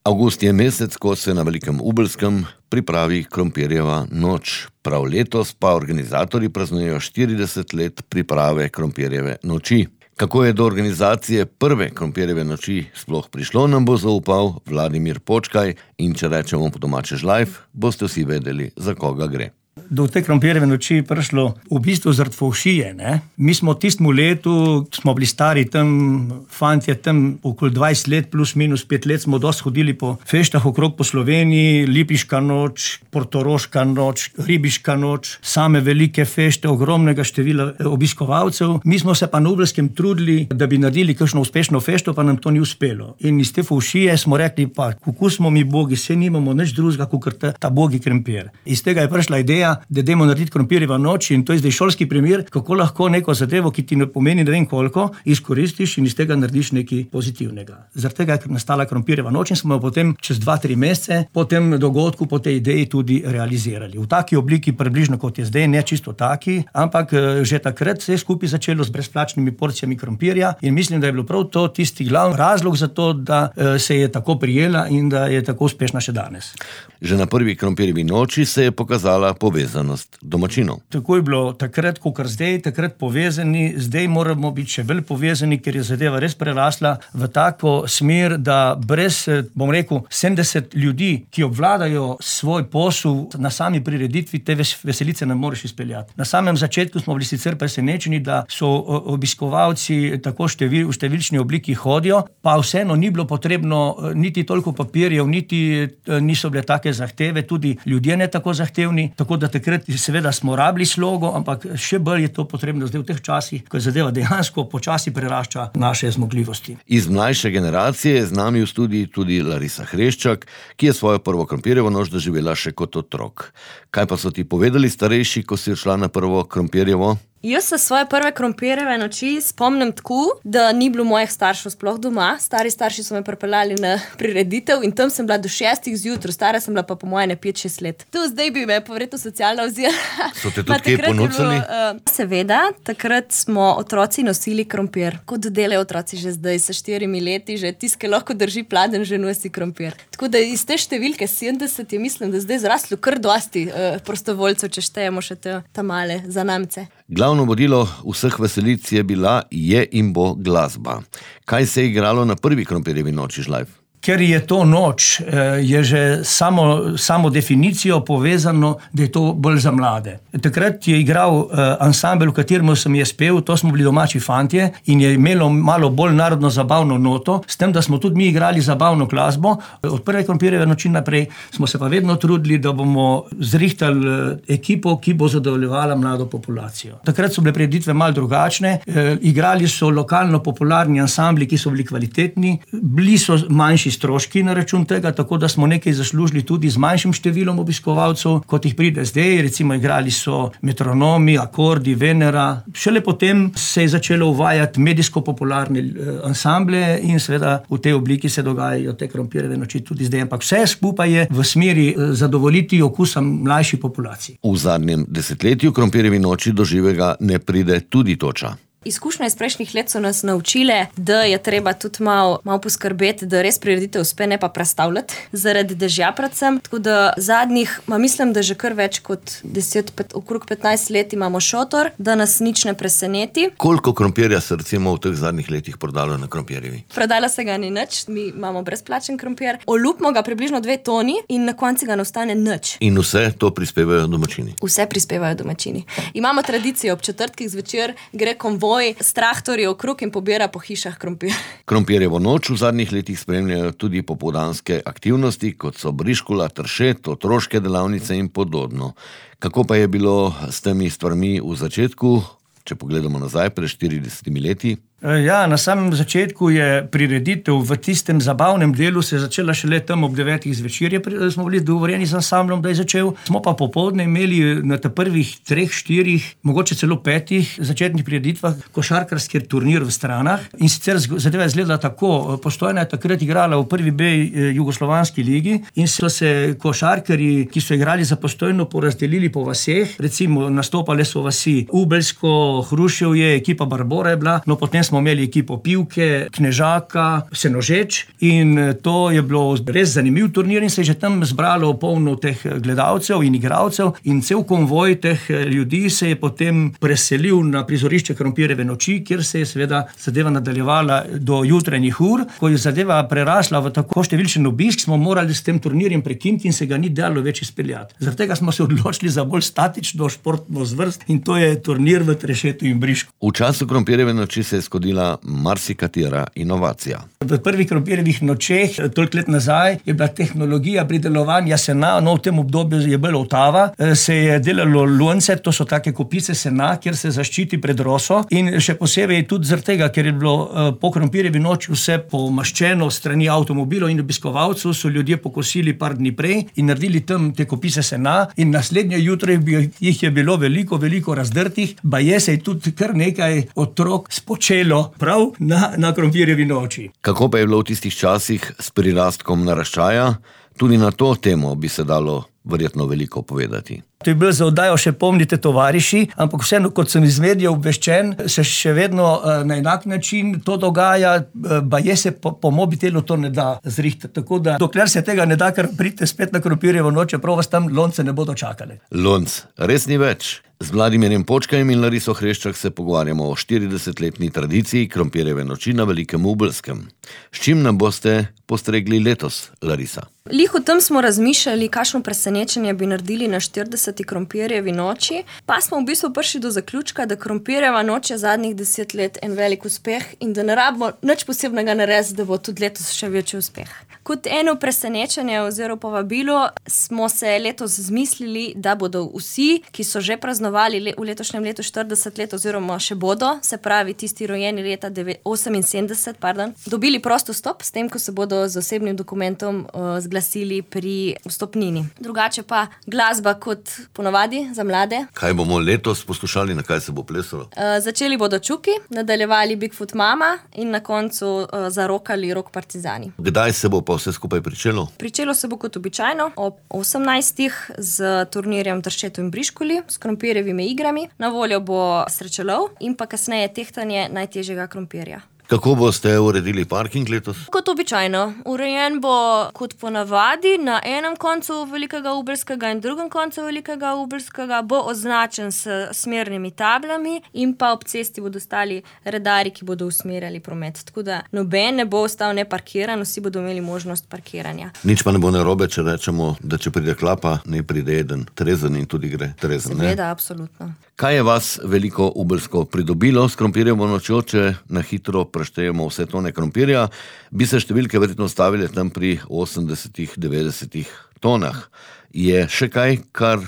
Avgust je mesec, ko se na Velikem Ubelskem pripravi krompirjeva noč. Prav letos pa organizatorji praznujejo 40 let priprave krompirjeve noči. Kako je do organizacije prve krompirjeve noči sploh prišlo, nam bo zaupal Vladimir Počkaj in če rečemo po domače žlajf, boste vsi vedeli, za koga gre. Do te krompirjeve noči prišlo v bistvu zaradi fovšije, ne. Mi smo tistemu letu, smo bili stari tam, fantje tam okoli 20 let, plus minus 5 let, smo dosti hodili po feštah okrog po Sloveniji, Lipiška noč, Portoroška noč, Ribiška noč, same velike fešte, ogromnega števila obiskovalcev. Mi smo se pa na Ubelskem trudili, da bi naredili kakšno uspešno fešto, pa nam to ni uspelo. In iz te fovšije smo rekli, pa kako smo mi bogi, saj nimamo nič drugega, kakor ta bogi krompir. Iz tega je prišla ideja, da dajmo narediti krompirjeva noč, in to je zdaj šolski primer, kako lahko neko zadevo, ki ti ne pomeni ne vem koliko, izkoristiš in iz tega narediš nekaj pozitivnega. Zaradi tega je nastala krompirjeva noč in smo jo potem čez 2-3 mesece po tem dogodku, po tej ideji tudi realizirali. V taki obliki približno kot je zdaj, ne čisto taki, ampak že takrat se je skupaj začelo s brezplačnimi porcijami krompirja in mislim, da je bilo prav to tisti glavni razlog za to, da se je tako prijela in da je tako uspešna še danes. Že na prvi krompirjevi noči se je pokazala povezanost domačinov. Tako je bilo takrat, kakor zdaj, takrat povezani, zdaj moramo biti še bolj povezani, ker je zadeva res prerasla v tako smer, da brez, bom rekel, 70 ljudi, ki obvladajo svoj posel na sami prireditvi, te veselice ne moreš izpeljati. Na samem začetku smo bili sicer presenečeni, da so obiskovalci tako v številčni obliki hodijo, pa vseeno ni bilo potrebno niti toliko papirjev, niti niso bile take zahteve, tudi ljudje ne tako zahtevni, tako da takrat seveda smo rabili slogo, ampak še bolj je to potrebno zdaj v teh časih, ko zadeva dejansko počasi prerašča naše zmogljivosti. Iz mlajše generacije je z nami v studiji tudi Larisa Hreščak, ki je svojo prvo krompirjevo noč doživela še kot otrok. Kaj pa so ti povedali starejši, ko si šla na prvo krompirjevo? Jaz se svoje prve krompirjeve noči spomnim tako, da ni bilo mojih staršev sploh doma. Starši so me pripeljali na prireditev in tam sem bila do 6 zjutraj, stara sem bila pa po moje 5-6 let. Tu zdaj bi me povedal socialna vzela. So te tudi kje ponucali? Seveda, takrat smo otroci nosili krompir. Kot delajo otroci že zdaj, sa 4 leti, že tiske lahko drži pladen, že nosi krompir. Tako da iz te številke 70 je mislim, da zdaj zraslo kar dosti prostovoljcev, če štejemo še te male zanamce. Glavno vodilo vseh veselic je bila, je in bo glasba. Kaj se je igralo na prvi krompirjevi noči žlajf? Ker je to noč, je že samo definicijo povezano, da je to bolj za mlade. Takrat je igral ansambel, v katerem sem jaz pel, to smo bili domači fantje in je imelo malo bolj narodno zabavno noto, s tem, da smo tudi mi igrali zabavno glasbo. Od prve krompirjeve noči naprej smo se pa vedno trudili, da bomo zrihtali ekipo, ki bo zadovoljevala mlado populacijo. Takrat so bile prireditve malo drugačne, igrali so lokalno popularni ansambli, ki so bili kvalitetni, bili so manjši stroški na račun tega, tako da smo nekaj zaslužili tudi z manjšim številom obiskovalcev, kot jih pride zdaj. Recimo igrali so metronomi, akordi, Venera. Šele potem se je začelo uvajati medijsko popularne ansamble in seveda v tej obliki se dogajajo te krompirjeve noči tudi zdaj. Ampak vse skupaj je v smeri zadovoljiti okusa mlajši populaciji. V zadnjem desetletju krompirjevi noči do živega ne pride tudi toča. Izkušnje iz prejšnjih let so nas naučile, da je treba tudi malo poskrbeti, da res prireditev uspe, ne pa prestavljati zaradi dežja predvsem. Tako da zadnjih, mislim, da že kar več kot 10, okrog 15 let imamo šotor, da nas nič ne preseneti. Koliko krompirja se recimo v teh zadnjih letih prodalo na krompirjevi? Prodala se ga ni nič, mi imamo brezplačen krompir. Olupimo ga približno 2 toni in na koncu ga ne ostane nič. In vse to prispevajo domačini? Vse prispevajo domačini. Imamo tradicijo, ob četrtkih zvečer gre konvoj s traktorji okrog in pobira po hišah krompir. Krompirjevo noč v zadnjih letih spremljajo tudi popoldanske aktivnosti, kot so briškula, tršet, otroške delavnice in podobno. Kako pa je bilo s temi stvarmi v začetku, če pogledamo nazaj pred 40 leti? Ja, na samem začetku je prireditev v tistem zabavnem delu se začela šele tam ob 9 zvečer, smo bili dogovorjeni z ansamblom, da je začel. Smo pa popoldne imeli na te prvih 3, 4, mogoče celo 5 začetnih prireditvah košarkarski turnir v Stranah. In sicer zadeva je izgledala tako, Postojna je takrat igrala v prvi B jugoslovanski ligi in so se košarkarji, ki so igrali za Postojno, porazdelili po vaseh. Recimo nastopale so vasi Ubelsko, Hruševje, ekipa Barbora je bila, no potem smo smo imeli ekipo Pivke, Knežaka, Senožeč in to je bilo res zanimiv turnir in se je že tam zbralo polno teh gledalcev in igralcev in cel konvoj teh ljudi se je potem preselil na prizorišče Krompirjeve noči, kjer se je seveda zadeva nadaljevala do jutranjih ur. Ko je zadeva prerasla v tako številčen obisk, smo morali s tem turnirjem prekiniti in se ga ni dalo več izpeljati. Zaradi tega smo se odločili za bolj statično športno zvrst in to je turnir v Trešetu in Brišku. V času Krompirjeve noči se je zgodila marsikatera inovacija. V prvih Krompirjevih nočeh, toliko let nazaj, je bila tehnologija pridelovanja sena, v tem obdobju je bila otava, se je delalo lonce, to so take kopice sena, kjer se zaščiti pred roso in še posebej tudi zaradi tega, ker je bilo po Krompirjevi noči vse pomaščeno strani avtomobilov in obiskovalcev, so ljudje pokosili par dni prej in naredili tam te kopise sena in naslednje jutro jih je bilo veliko razdrtih, baje se je tudi kar nekaj otrok spočelo prav na Krompirjevi noči. Kako pa je bilo v tistih časih s prirastkom naraščaja? Tudi na to temo bi se dalo verjetno veliko povedati. To je bilo za oddajo Še pomnite tovariši, ampak vseeno, kot sem iz medijev obveščen, se še vedno na enak način to dogaja, baje se po mobitelu to ne da zrihtati. Tako da, dokler se tega ne da, kar pridite spet na Krompirjevo noč, čeprav vas tam lonce ne bodo čakali. Lonc res ni več. Z Vladimirjem Počkajem in Lariso Hreščak se pogovarjamo o 40-letni tradiciji Krompirjeve noči na Velikem Ubelskem. S čim nam boste postregli letos, Larisa? Lih o tem smo razmišljali, kakšno presenečenje bi naredili na 40. Krompirjevi noči, pa smo v bistvu prišli do zaključka, da Krompirjeva noč je zadnjih 10 let en velik uspeh in da ne rabimo nič posebnega narediti, da bo tudi letos še večji uspeh. Kot eno presenečenje oziroma povabilo smo se letos zmislili, da bodo vsi, ki so že praznovali v letošnjem letu 40 let oziroma še bodo, se pravi tisti rojeni leta 78, dobili prosto stop s tem, ko se bodo z osebnim dokumentom zglasili pri vstopnini. Drugače pa glasba kot ponovadi za mlade. Kaj bomo letos poslušali, na kaj se bo plesalo? Začeli bodo Čuki, nadaljevali Bigfoot Mama in na koncu zarokali Rock Partizani. Kdaj se bo pa vse skupaj pričelo? Pričelo se bo kot običajno ob 18. z turnirjem v Tršetu in Briškuli, s krompirjevimi igrami. Na voljo bo srečelov in pa kasneje tehtanje najtežjega krompirja. Kako boste uredili parking letos? Kot običajno. Urejen bo kot ponavadi, na enem koncu Velikega Ubelskega in drugem koncu Velikega Ubelskega bo označen s smernimi tablami in pa ob cesti bodo stali redarji, ki bodo usmerjali promet. Tako da noben ne bo ostal neparkiran, vsi bodo imeli možnost parkiranja. Nič pa ne bo narobe, če rečemo, da če pride klapa, ne pride eden trezen in tudi gre trezen. Seveda, absolutno. Kaj je vas Veliko Ubelsko pridobilo s Krompirjevo nočjo, če na hitro preštejemo vse tone krompirja, bi se številke verjetno stavile tam pri 80-90 tonah. Je še kaj, kar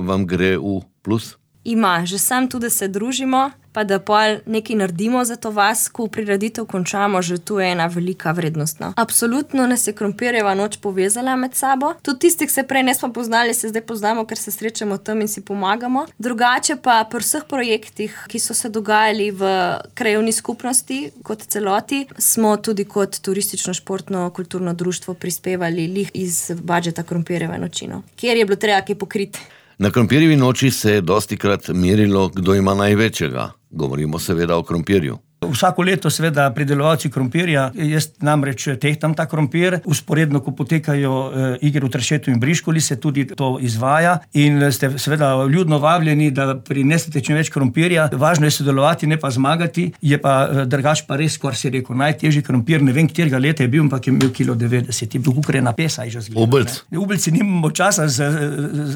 vam gre v plus? Ima, že sam tudi, da se družimo, pa da pol nekaj naredimo za to vas, ko prireditev končamo, že tu je ena velika vrednost. Absolutno nas je Krompirjeva noč povezala med sabo. Tudi tisti, ki se prej nismo poznali, se zdaj poznamo, ker se srečamo tam in si pomagamo. Drugače pa pri vseh projektih, ki so se dogajali v krajevni skupnosti kot celoti, smo tudi kot turistično športno kulturno društvo prispevali lih iz budžeta Krompirjeve nočino, kjer je bilo treba kaj pokriti. Na Krompirjevi noči se je dostikrat merilo, kdo ima največjega. Govorimo seveda o krompirju. Vsako leto seveda pridelovalci krompirja, jaz namreč tehtam ta krompir, usporedno, ko potekajo igre v Tršetu in Briškuli, se tudi to izvaja in ste seveda ljudno vabljeni, da prinesete čim več krompirja. Važno je sodelovati, ne pa zmagati, je pa drugač pa res, kar si rekel, najtežji krompir, ne vem, katerega leta je bil, ampak je imel 1,90 kg, je bil kukrena pesa. Ubelc. Ubelci nimamo časa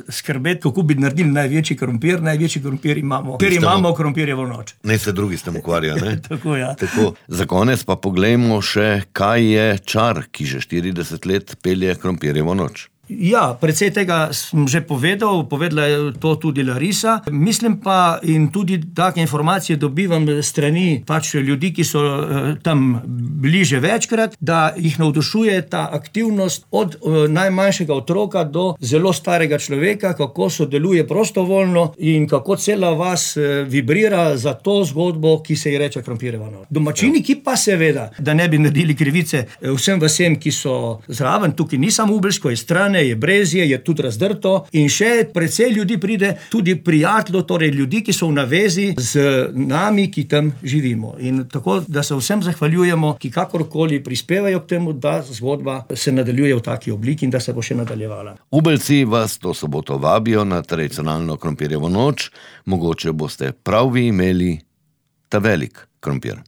skrbeti, kako bi naredili največji krompir imamo, ker imamo Krompirjevo noč. Ne se drugi s tem ukvarja, ne? Tako, ja. Tako. Za konec pa poglejmo še, kaj je čar, ki že 40 let pelje Krompirjevo noč. Ja, precej tega sem že povedala je to tudi Larisa. Mislim pa in tudi take informacije dobivam strani pač ljudi, ki so tam bili že večkrat, da jih navdušuje ta aktivnost od najmanjšega otroka do zelo starega človeka, kako sodeluje prostovoljno in kako cela vas vibrira za to zgodbo, ki se ji reče Krompirjeva noč. Domačini, ki pa seveda, da ne bi naredili krivice vsem vasem, ki so zraven, tukaj ni samo Ubelsko, je stran, Poljane, je Brezje, je tudi Razdrto in še precej ljudi pride, tudi prijateljev, torej ljudi, ki so v navezi z nami, ki tam živimo. In tako, da se vsem zahvaljujemo, ki kakorkoli prispevajo k temu, da zgodba se nadaljuje v taki obliki in da se bo še nadaljevala. Ubelci vas to soboto vabijo na tradicionalno krompirjevo noč, mogoče boste prav vi imeli ta velik krompir.